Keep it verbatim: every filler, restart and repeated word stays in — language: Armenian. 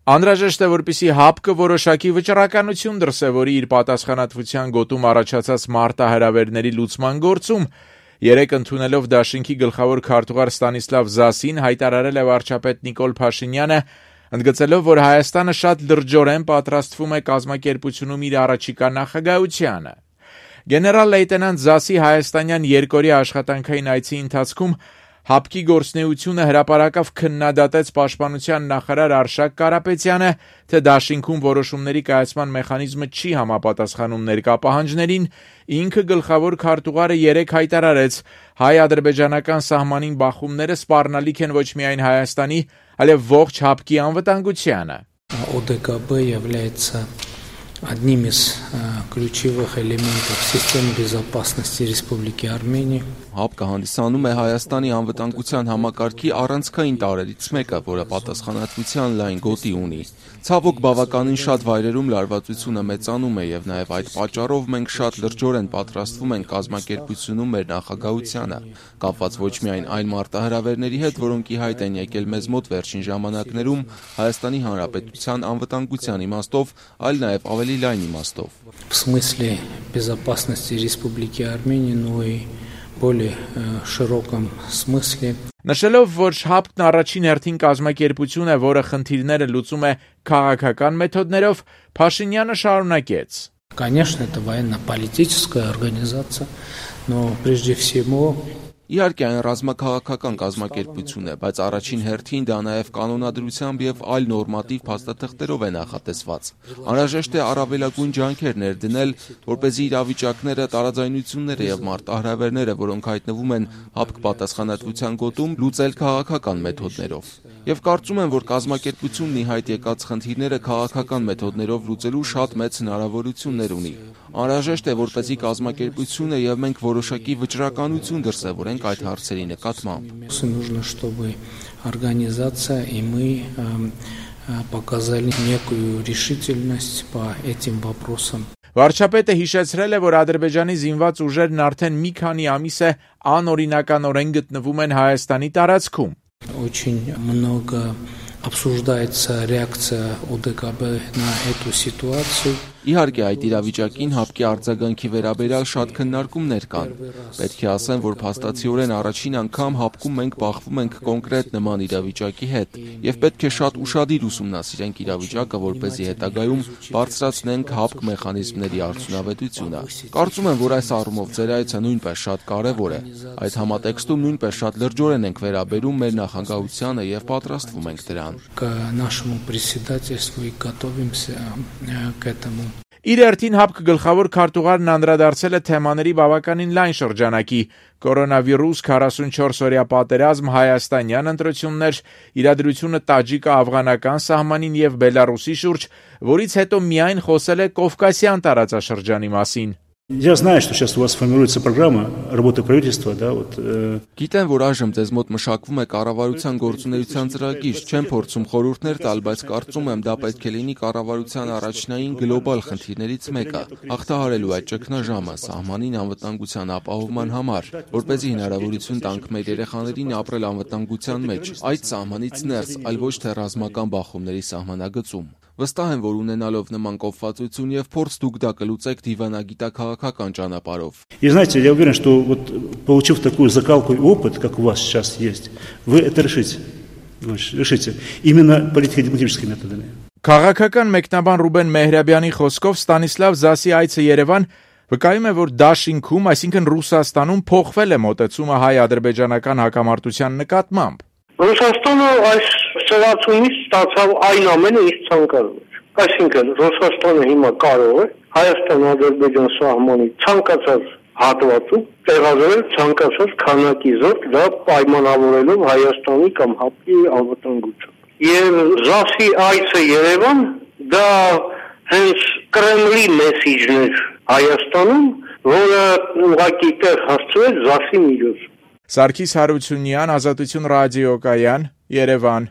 Անհրաժեշտ է, որպեսզի ՀԱՊԿ-ը որոշակի վճռականություն դրսևորի իր պատասխանատվության գոտում առաջացած մարտահրավերների լուծման գործում, երեկ ընդունելով դաշինքի գլխավոր քարտուղար Ստանիսլավ Զասին հայտարարել է վարչապետ Նիկոլ Փաշինյանը, ընդգծելով, որ Հայաստանը շատ լրջորեն պատրաստվում է կազմակերպությունում իր առաջիկա նախագահությանը։ Գեներալ լեյտենանտ Զասի հայաստանյան երկօրյա աշխատանքային այցի ընթացքում ՀԱՊԿ-ի գործունեությունը հրապարակավ քննադատեց պաշտպանության նախարար Արշակ Կարապետյանը, թե դաշինքում որոշումների կայացման մեխանիզմը չի համապատասխանում ներկա պահանջներին, ինքը գլխավոր քարտուղարը երեկ հայտարարեց, հայ-ադրբեջանական սահմանին բախումները սպառնալիք են ոչ միայն Հայաստանի, այլև ողջ ՀԱՊԿ-ի անվտանգությանը։ ОДКБ является одним из ключевых элементов системы безопасности Республики Армения. ՀԱՊԿ-ը հանդիսանում է Հայաստանի անվտանգության համակարգի առանցքային տարրերից մեկը, որը պատասխանատվության լայն գոտի ունի։ Ցավոք, բավականին շատ վայրերում լարվածությունը մեծանում է եւ նաեւ այդ պատճառով մենք շատ լրջորեն պատրաստվում ենք կազմակերպությունում մեր նախագահությանը, կապված ոչ միայն այն մարտահրավերների հետ, որոնք ի հայտ են եկել մեզ մոտ վերջին ժամանակներում Հայաստանի Հանրապետության անվտանգության իմաստով, այլ նաեւ ավելի լայն իմաստով։ В смысле безопасности Республики Армения, но и более широком смысле. Նշելով, որ ՀԱՊԿ-ն առաջին հերթին կազմակերպություն է, որը խնդիրները լուծում է քաղաքական մեթոդներով, Փաշինյանը շարունակեց. Конечно, это военно-политическая организация, но прежде всего Իհարկե այն ռազմաքաղաքական կազմակերպություն է, բայց առաջին հերթին դա նաև կանոնադրությամբ եւ այլ նորմատիվ փաստաթղթերով է նախատեսված։ Անհրաժեշտ է առավելագույն ջանքեր ներդնել, որպեսզի իրավիճակները, տարաձայնությունները եւ մարտահրավերները, որոնք հայտնվում են ՀԱՊԿ պատասխանատվության գոտում, լուծել քաղաքական մեթոդներով։ Եվ կարծում եմ, որ կազմակերպությունն ի հայտ եկած խնդիրները քաղաքական մեթոդներով լուծելու շատ մեծ հնարավորություններ ունի։ Անհրաժեշտ է, որպեսզի կազմակերպությունը եւ մենք որոշակի վճռականություն դրսեւորենք այդ հարցերի նկատմամբ։ Нужно, чтобы организация и мы показали некую решительность по этим вопросам. Վարչապետը հիշեցրել է, որ Ադրբեջանի զինված ուժերն արդեն մի քանի ամիս է անօրինականորեն գտնվում են Հայաստանի տարածքում։ Очень много обсуждается реакция ОДКБ на эту ситуацию. Իհարկե այդ իրավիճակին ՀԱՊԿ-ի արձագանքի վերաբերյալ շատ քննարկումներ կան։ Պետք է ասեմ, որ փաստացիորեն առաջին անգամ ՀԱՊԿ-ում մենք բախվում ենք կոնկրետ նման իրավիճակի հետ եւ պետք է շատ ուշադիր ուսումնասիրենք իրավիճակը, որպեսզի հետագայում բարձրացնենք ՀԱՊԿ մեխանիզմների արդյունավետությունը։ Կարծում եմ, որ այս առումով ձեր այցը նույնպես շատ կարեւոր է։ Այդ համատեքստում նույնպես շատ լրջորեն ենք վերաբերում մեր նախագահությանը եւ պատրաստվում ենք դրան։ К нашему председательству и готовимся к этому. Իր հերթին ՀԱՊԿ գլխավոր քարտուղարն անդրադարձել է թեմաների բավականին լայն շրջանակի՝ կորոնավիրուս, քառասունչորս օրյա պատերազմ, հայաստանյան ընտրություններ, իրադրությունը տաջիկա-աֆղանական սահմանին եւ Բելարուսի շուրջ, որից հետո միայն խոսել է Կովկասյան տարածաշրջանի մասին։ Я знаю, что сейчас у вас формируется программа работы правительства, да, вот. Գիտեմ, որ այժմ ձեզ մոտ մշակվում է կառավարության գործունեության ծրագիր, չեմ փորձում խորհուրդներ տալ, բայց կարծում եմ դա պետք է լինի կառավարության առաջնային գլոբալ խնդիրներից մեկը՝ հաղթահարելու այդ ճգնաժամը սահմանին անվտանգության ապահովման համար, որպեսզի հնարավորություն տանք մեր երեխաներին ապրել անվտանգության մեջ, այդ сահմանից ներս, այլ ոչ թե ռազմական բախումների սահմանագծում։ Վստահ եմ, որ ունենալով նման կողմվածություն եւ փորձ դուք դա կլուծեք դիվանագիտական ճանապարհով։ И знаете, я уверен, что вот получив такую закалку и опыт, как у вас сейчас есть, вы это решите. Решите именно политико-дипломатическими методами. Քաղաքական մեկնաբան Ռուբեն Մեհրաբյանի խոսքով Ստանիսլավ Զասի այցը Երևան վկայում է, որ դաշինքում, այսինքն Ռուսաստանում փոխվել է մոտեցումը հայ-ադրբեջանական հակամարտության նկատմամբ։ Ռուսաստանը այս ծրացումից ստացավ այն ամենը իր ցանկալով։ Այսինքն Ռուսաստանը հիմա կարող է Հայաստան-Ադրբեջան սահմանի ցանկացած հատվածում տեղադրել ցանկացած քանակի զորք, դա պայմանավորելով Հայաստանի կամ ՀԱՊԿ-ի անվտանգությունը։ Եվ Զասի այցը Երևան դա հենց Կրեմլի մեսիջներ Հայաստանում, որը ուղղակի տեղ հասցրեց Զասի միջոցով։ Սարգիս Հարությունյան, Ազատություն ռադիոկայան, Երևան։